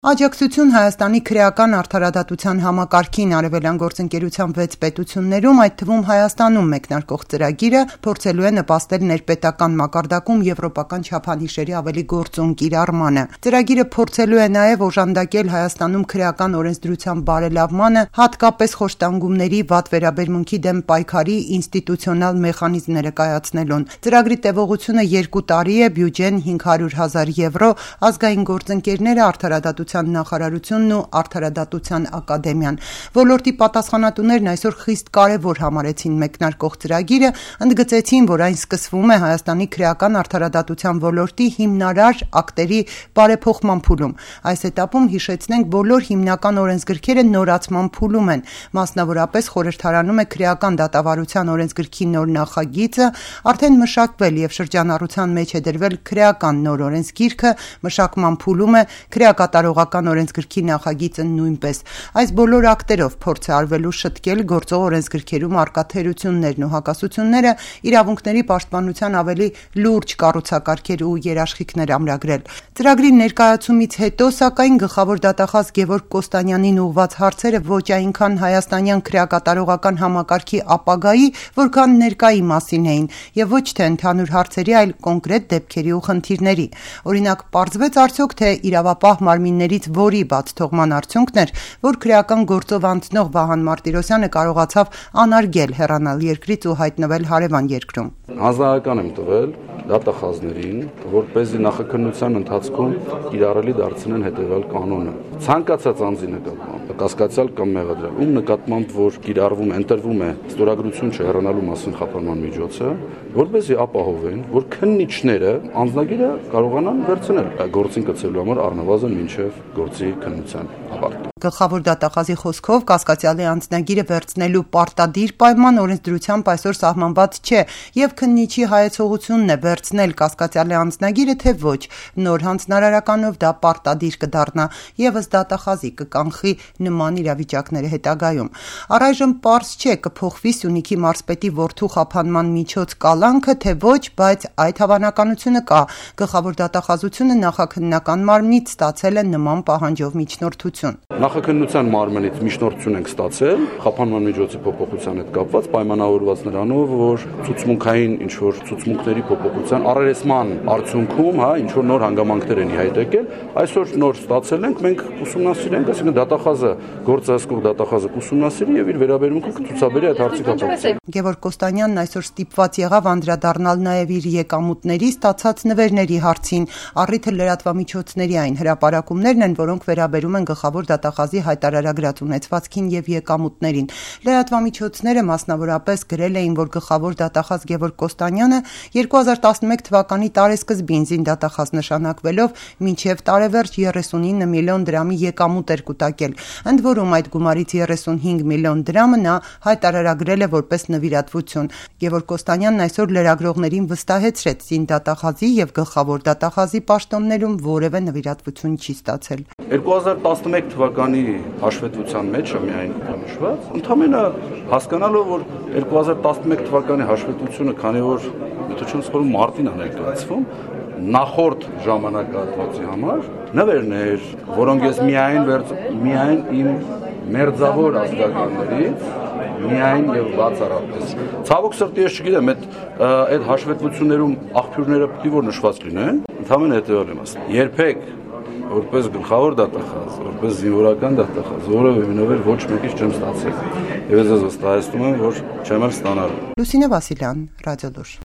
Աջակցություն Հայաստանի քրեական արդարադատության համակարգին արևելյան գործընկերության 6 պետություններում, այդ թվում Հայաստանում մեկնարկող ծրագիրը փորձելու է նպաստել ներպետական մակարդակում եվրոպական չափանիշերի ավելի գործուն կիրառմանը։ Ծրագիրը փորձելու է նաև օժանդակել Հայաստանում քրեական օրենսդրության բարելավմանը, հատկապես խոշտանգումների վատ վերաբերմունքի դեմ պայքարի ինստիտուցիոնալ մեխանիզմները կայացնելուն։ Ծրագրի տևողությունը 2 տարի է, բյուջեն 500,000 եվրո, ազգային գործընկերները, արդարադատության նախարարությունն ու Արդարադատության ակադեմիան։ Ոլորտի պատասխանատուներն այսօր խիստ կարևոր համարեցին մեկնարկող ծրագիրը, ընդգծեցին, որ այն սկսվում է Հայաստանի քրեական արդարադատության ոլորտի հիմնարար ակտերի բարեփոխման փուլում։ Այս этаպում, հիշեցնենք, բոլոր հիմնական օրենսգրքերը նորացման փուլում են։ Մասնավորապես խորհրդարանում է քրեական դատավարության օրենսգրքի նոր նախագիծը, արդեն մշակվել եւ շրջանառության մեջ է դրվել քրեական նոր օրենսգիրքը, մշակման փուլում է քրեակատարողական օրենսգրքի նախագիծը նույնպես։ Այս բոլոր ակտերով փորձ է արվելու շտկել գործող օրենսգրքերում առկա թերություններն ու հակասությունները, իրավունքների պաշտպանության ավելի լուրջ կառուցակարգեր ու երաշխիքներ ամրագրել։ Ծրագրի ներկայացումից հետո, սակայն, գլխավոր դատախազ Գևորգ Կոստանյանին ուղղված հարցերը ոչ այնքան հայաստանյան քրեակատարողական համակարգի ապագայի, որքան ներկայի մասին էին, եւ ոչ թե ընդհանուր հարցերի, այլ կոնկրետ դեպքերի ու խնդիրների։ Օրինակ, պարզվեց արդյոք, թե իրավապահ մարմիններից որի բացթողման արդյունքն էր, որ քրեական գործով անցնող Վահան Մարտիրոսյանը կարողացավ անարգել հեռանալ երկրից ու հայտնվել հարևան երկրում։ Հանձնարարական եմ տվել դատախազներին, որպեսզի նախաքննության ընթացքում իրարելի դարձնեն հետևյալ կանոնը։ Ցանկացած անձի նկատմամբ, կասկածյալ կամ մեղադրյալ, ում նկատմամբ որ կիրառվում է, ընտրվում է ստորագրություն չհեռանալու մասին խափանման միջոցը, որպեսզի ապահովեն, որ քննիչները անձնագիրը կարողանան վերցնել գործին կցելու համար առնվազն մինչև գործի քննության ավարտը։ Գլխավոր դատախազի խոսքով կասկածյալի անձնագիրը վերցնելու պարտադիր պայման օրենսդրությամբ այսօր սահմանված չէ, եւ քննիչի հայեցողությունն է վերցնել կասկածյալի անձնագիրը, թե ոչ։ Նոր հանձնարարականով դա պարտադիր կդառնա, եւս դատախազի կկանխի նման իրավիճակները հետագայում։ Առայժմ պարզ չէ կփոխվի Սյունիքի մարզպետի որդու խափանման միջոց կալանքը, թե ոչ, բայց այդ հավանականությունը կա։ Գլխավոր դատախազությունը նախաքննական մարմնից ստացել է նման պահանջով միջնորդություն։ Նախաքննության մարմնից միջնորդություն ենք ստացել խափանման միջոցի փոփոխության հետ կապված, պայմանավորված նրանով, որ ցուցմունքային ինչ-որ ցուցմունքների փոփոխության առերեսման արդյունքում, ինչ-որ նոր հանգամանքներ են իհայտ եկել, այսօր նոր ստացել ենք, մենք ուսումնասիրենք, այսինքն դատախազը, գործը հասկող դատախազը կուսումնասիրի եւ իր վերաբերմունքը կցուցաբերի այդ հարցի կապակցությամբ։ Գևորգ Կոստանյանն այսօր ստիպված եղավ անդրադառնալ նաեւ իր եկամուտների ստացած նվերների հարցին։ Առիթը լրատվամիջոցների այն հրապարակումներն են, որոնք վերաբերում են գլխավոր դատախազի հայտարարագրած ունեցվածքին եւ եկամուտներին։ Լրատվամիջոցները մասնավորապես գրել էին, որ գլխավոր դատախազ Գևորգ Կոստանյանը 2011 թվականի տարեսկզբին զինդատախազ նշանակվելով մինչև տարեվերջ 39 միլիոն դրամի եկամուտ էր կուտակել։ Ընդ որում այդ գումարից 35 միլիոն դրամը նա հայտարարագրել է որպես նվիրատվություն։ Գևորգ Կոստանյանն այսօր լրագրողներին վստահեցրեց, զինդատախազի եւ գլխավոր դատախազի պաշտոններում որևէ նվիրատվություն չի ստացել։ 2011 թվականի հաշվետվության մեջ է միայն նշված, ընդհանրապես հասկանալով, որ 2011 թվականի հաշվետվությունը, քանի որ միտուչոնցորում մարտին է ներկայացվում, նախորդ ժամանակահատվածի համար նվերներ, որոնք ես միայն իմ մերձավոր ազգականներից միայն եւ բացառապես։ Ցավոք սրտի ես չգիտեմ, այդ հաշվետվություններում աղբյուրները պետք է որ նշված լինեն, ընդհանրապես հետեւյալն եմ ասում։ Երբեք որպես գլխավոր դատախազ, որպես զինվորական դատախազ, որևէ նվեր ոչ մեկից չեմ ստացել։ Եվ ես վստահեցնում եմ, որ չեմ էլ ստանալու։ Լուսինե Վասիլյան, Ռադիոլուր։